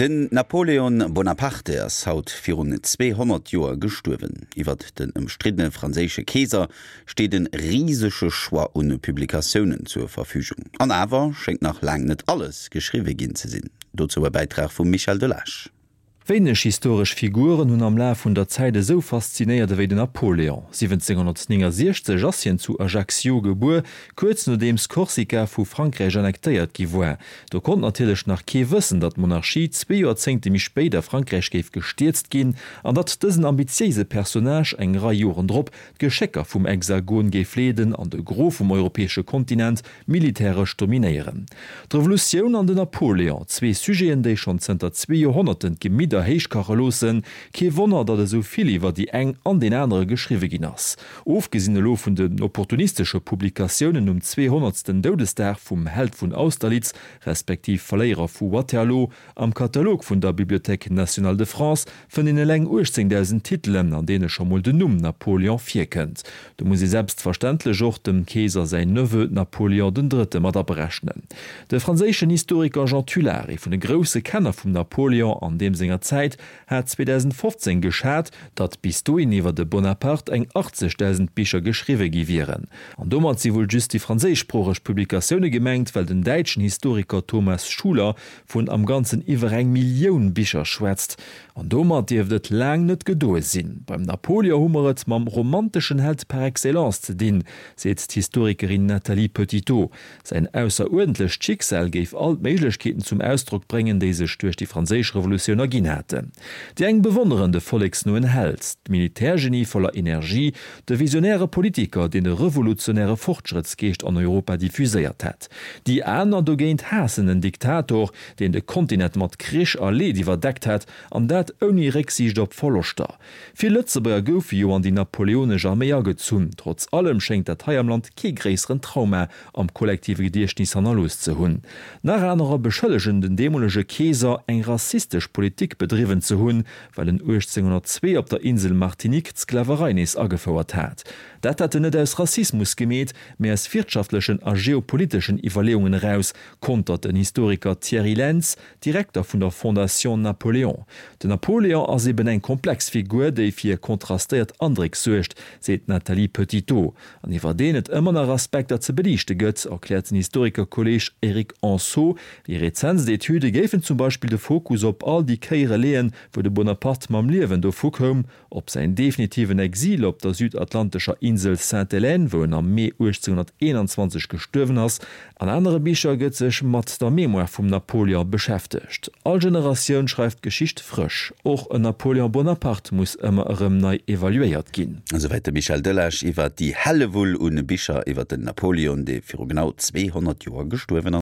Den Napoleon Bonaparte ass haut virun 200 Joer gestuerwen. Iwwert den ëmstriddene franséische Keeser steet e risege Choix un Publikatiounen zur Verfügung. An awer schéngt nach laang net alles geschriwwe ginn ze sinn. Dozou e Bäitrag vum Michel Delage. Wéineg historesch Figuren hunn am Laf vun der Zäit esou faszinéiert ewéi den Napoléon. 1769 ass hien zu Ajaccio gebuer, kuerz nodeems Korsika vu Frankräich annektéiert gi war. Do konnt natierlech nach kee wëssen, datt d'Monarchie zwee Joerzéngte méi spéit a Frankräich géif gestierzt ginn an datt dësen ambitiéise Personnage eng Rei Joren drop d'Geschécker vum Hexagon géif leeden an de Gros vum europäesche Kontinent militäresch dominéieren. D'Revolutioun an den Napoléon, zwee Sujeten, déi schonn zënter zwee Joerhonnerten d'Gemidder héichkache loossen. Kee Wonner, datt esou vill iwwer déi eng an deen anere geschriwwe ginn ass. Ofgesinn elo vun den opportunistesche Publikatiounen um zweehonnertsten Doudesdag vum Held vun Austerlitz, respektiv Verléierer vu Waterloo, Am Katalog vun der Bibliothèque nationale de France fënnt een eleng 18.000 Titelen, an deene scho mol den Numm Napoleon virkënnt. Do muss ee selbstverständlech och dem Keeser säin Neveu Napoleon den Drëtte mat aberechnen. De franséischen Historiker Jean Tulard, ee vun de grousse Kenner vum Napoleon an deem senger Zäit, hat 2015 geschat, datt bis dohin iwwer de Bonaparte eng 80.000 Bicher geschriwwe gi wieren. An domat si wuel just déi franséischsproocheg Publikatioune gemengt, well den däitschen Historiker Thomas Schuler vun am Ganzen iwwer eng Millioun Bicher schwätzt. An domat dierft et laang net gedoe sinn. Beim Napoleon hu mer et mam romanteschen Held par excellence ze dinn, seet d'Historikerin Nathalie Petitot. Säin ausseruerdentlecht Schicksal géif all d'Méiglechkeeten zum Ausdrock bréngen, déi sech duerch déi franséisch Revolutioun erginn haten. Déi eng bewonneren de volleksnoen Held, d'Militärgenie voller Energie, de visionäre Politiker, deen de revolutionäre Fortschrëttsgeescht an Europa diffuséiert hat. Déi aner dogéint haassen en Diktator, deen de Kontinent mat Krich a Leed iwwerdeckt hat, an dat ouni Récksiicht op Verloschter. Vill Lëtzebuerger goufe jo an déi napoleonesch Arméi agezunn. Trotz allem schéngt dat hei am Land kee gréisseren Trauma am kollektive Gediechtnis hannerlooss ze hunn. Nach anerer beschëllegen den deemolege Keeser, eng rassistesch Politik bedriwwen ze hunn, well en 1802 op der Insel Martinique d'Sklaverei nees agefouert hat. Dat hätt en net aus Rassismus gemeet, mee aus wirtschaftlechen a geopoliteschen Iwwerleeungen eraus, kontert den Historiker Thierry Lentz, Direkter vun der Fondation Napoléon. Den Napoléon ass eben eng komplex Figur, déi fir kontrastéiert Andréck suergt, seet d'Nathalie Petitot. An iwwer deen et ëmmer nach Aspekter ze beliichte gëtt, erkläert den Historikerkolleeg Eric Anceaux. Déi rezentst Etüde géifen zum Beispill de Fokus op all déi Kéiere leeën, wou de Bonaparte mam Liewen dovu koum, Op säin definitiven Exil op der südatlantescher Insel Sainte-Hélène, wou en am Mee 1821 gestuerwen ass. An anere Bicher gëtt sech mat der Mémoire vum Napoleon beschäftegt. All Generatioun schreift d'Geschicht frësch. Och en Napoleon Bonaparte muss ëmmer erëm nei evaluéiert ginn. Esouwäit de Michel Delage iwwer déi Hellewull un Bicher iwwer den Napoleon, dee viru genau 200 Joer gestuerwen ass.